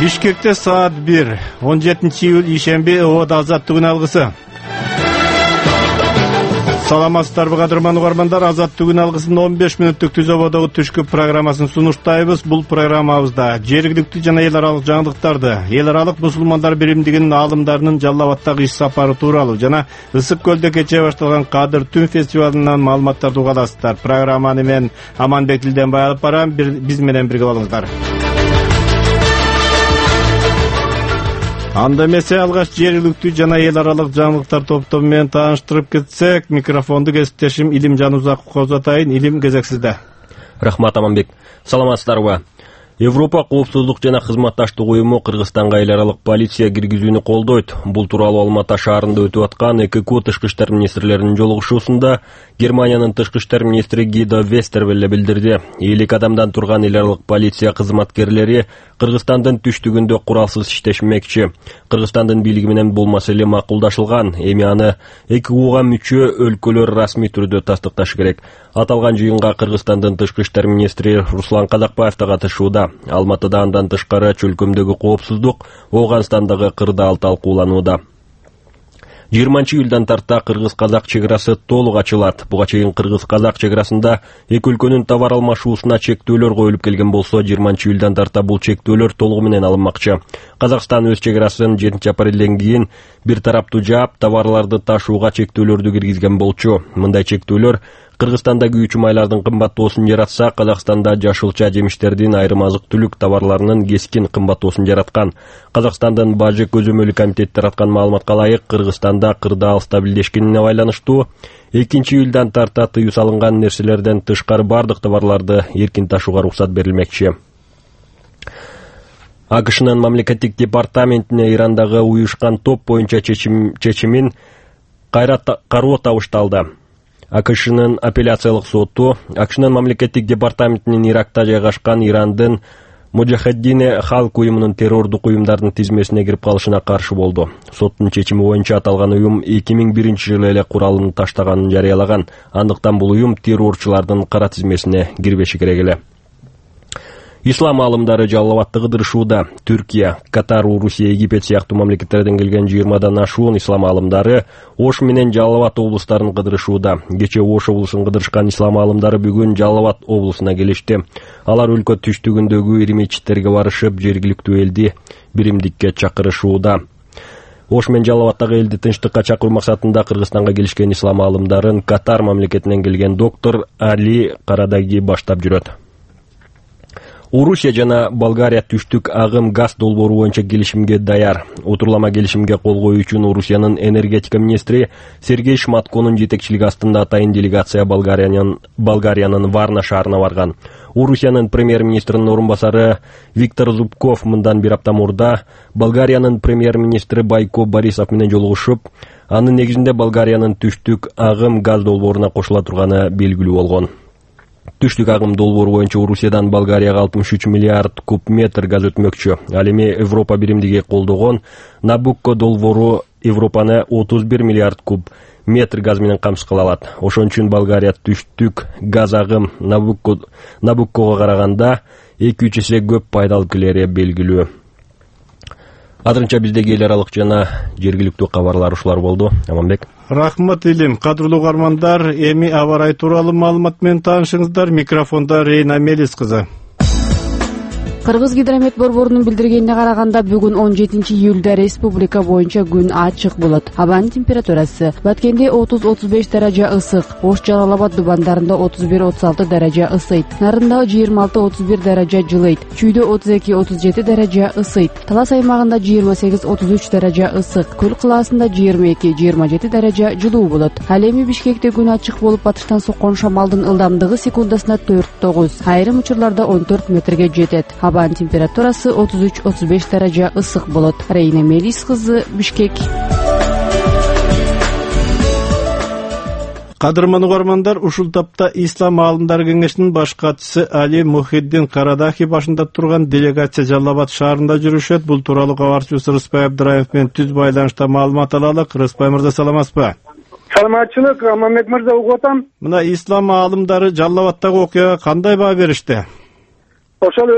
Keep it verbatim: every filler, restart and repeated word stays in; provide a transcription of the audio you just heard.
Бишкекте саат бир, он жетинчи июль ишемби Оодо азаттыгын алгысы. Саламатсыздарбы кадырман угармандар, азаттыгын алгысынын он беш мүнөттүк түз ободогу түшкү программасын сунуштайбыз. Бул программабызда жергиликтүү жана эл аралык жаңылыктарды, эл аралык мусулмандар биримдигинин аалымдарынын Жалал Абадтагы иш сапары тууралуу жана Ысык көлдө кечээ башталган Кадыр Түн фестивалынан маалыматтарды уга аласыздар. Программаны мен Аманбек Тилденбай алып барам. Биз менен бирге болуңуздар. Анда эмесе алгач жергиликтүү жана эл аралык жаңылыктар топтому менен тааныштырып кетсек, микрофонду кесиптешим Илим Жанузаковго узатайын. Илим, кезексизде. Рахмат, Аманбек. Саламатсыздарбы? Европа коопсуздук жана кызматташтык уюму Кыргызстанга эл аралык полиция киргизүүнү колдойт. Бул тууралуу Алматы шаарында өтүп аткан ЭКК тышкы иштер министрлеринин жолугушуусунда Германиянын тышкы иштер министри Гидо Вестервелле билдирди. элүү адамдан турган эл аралык полиция кызматкерлери Кыргызстандын түштүгүндө куралсыз иштешмекчи. Кыргызстандын бийлиги менен бул маселе макулдашылган. Эми аны ЭККга мүчө өлкөлөр расмий түрдө тастыкташы керек. Аталган жыйынга Кыргызстандын тышкы иштер министри Руслан Казакбаев да катышууда. Алматыда андан тышкары чөлкөмдөгү коопсуздук, Ооганстандагы кырдаал талкууланууда. жыйырманчы июлдан тарта кыргыз-казак чек арасы толук ачылат. Буга чейин кыргыз-казак чек арасында эки өлкөнүн товар алмашуусуна чектөөлөр коюлуп келген болсо, жыйырманчы июлдан тарта бул чектөөлөр толугу менен алынмакчы. Казакстан өз чек арасын жетинчи апрелден кийин бир тараптуу жаап, товарларды ташууга чектөөлөрдү киргизген болчу. Мындай чектөөлөр Кыргызстанда күйүүчү майлардын кымбаттоосун жаратса, Казакстанда жашылча жемиштердин, айрым азык-түлүк товарларынын кескин кымбаттоосун жараткан. Казакстандын Бажы көзөмөлү комитети тараткан маалыматка ылайык, Кыргызстанда кырдаал стабилдешкенине байланыштуу экинчи июлдан тарта тыюу салынган нерселерден тышкары бардык товарларды эркин ташууга уруксат берилмекчи. АКШнын мамлекеттик департаментине Ирандагы уюшкан топ боюнча чечим, чечимин кайра кароо табышталды. АКШнын апелляциялык соту АКШнын мамлекеттик департаментинин Иракта жайгашкан Ирандын Муджахеддине халк уюмунун террордук уюмдардын тизмесине кирип калышына каршы болду. Соттун чечими боюнча аталган уюм эки миң биринчи жылы эле куралын таштаганын жарыялаган. Андыктан бул уюм террорчулардын кара тизмесине кирбеши керек эле. Ислам аалымдары Жалал Абадты кыдырышууда. Түркия, Катар, Орусия, Египет сыяктуу мамлекеттерден келген жыйырмадан ашуун ислам аалымдары Ош менен Жалал Абад облустарын кыдырышууда. Кечээ Ош облусун кыдырышкан ислам аалымдары бүгүн Жалал Абад облусуна келишти. Алар өлкө түштүгүндөгү ири мечиттерге барышып, жергиликтүү элди биримдикке чакырышууда. Ош менен Жалал Абадтагы элди тынчтыкка чакыруу максатында Кыргызстанга келишкен ислам аалымдарын Катар мамлекетинен келген доктор Али Карадаги баштап жүрөт. Орусия жана Болгария түштүк агым газ долбоору боюнча келишимге даяр. Отурлама келишимге кол коюу үчүн Орусиянын энергетика министри Сергей Шматконун жетекчилиги астында атайын делегация Болгариянын Болгариянын Варна шаарына барган. Орусиянын премьер-министринин орун басары Виктор Зубков мындан бир апта мурда Болгариянын премьер-министри Байко Борисов менен жолугушуп, анын негизинде Болгариянын түштүк агым газ долбооруна кошула турганы белгилүү болгон. Түштүк агым долбоору боюнча Орусиядан Болгарияга алтымыш үч миллиард куб метр газ өтмөкчү. Ал эми Европа биримдиги колдогон Набукко долбоору Европаны отуз бир миллиард куб метр газ менен камсыз кыла алат. Ошон үчүн Болгария түштүк газ агым Набукко Набуккого караганда эки үч эсе көп пайда алып келери белгилүү. Азырынча биздеги эл аралык жана жергиликтүү кабарлар ушулар болду. Аманбек. Рахмат, Илим. Кадырлуу угармандар, эми аба ырайы тууралуу маалымат менен таанышыңыздар. Микрофондо Рейна Мелис кызы. Кыргыз гидромет борборунун билдиргенине караганда, бүгүн он жетинчи июлда республика боюнча күн ачык болот. Абанын температурасы Баткенде отуз отуз беш даража ысык, Ош, Жалал Абад дубандарында отуз бир отуз алты даража ысыйт, Нарында жыйырма алты отуз бир даража жылыйт, Чүйдө отуз эки отуз жети даража ысыйт, Талас аймагында жыйырма сегиз отуз үч даража ысык, Көл кылаасында жыйырма эки жыйырма жети даража жылуу болот. Ал эми Бишкекте күн ачык болуп, батыштан соккон шамалдын ылдамдыгы секундасына төрт тогуз, айрым учурларда он төрт метрге жетет. Абанын температурасы отуз үч отуз беш даража ысык болот. Рейна Мелис кызы, Бишкек. Кадырман угармандар, ушул тапта Ислам аалымдары кеңешинин баш катчысы Али Мухиддин Карадахи башында турган делегация Жалал Абад шаарында жүрүшөт. Бул тууралуу кабарчыбыз Рыспай Абдыраев менен түз байланышта маалымат алалык. Рыспай мырза, саламатсызбы? Саламатчылык, Аманбек мырза, угуп атам. Мына Ислам аалымдары Жалал Абадтагы окуяга кандай баа беришти? Ошол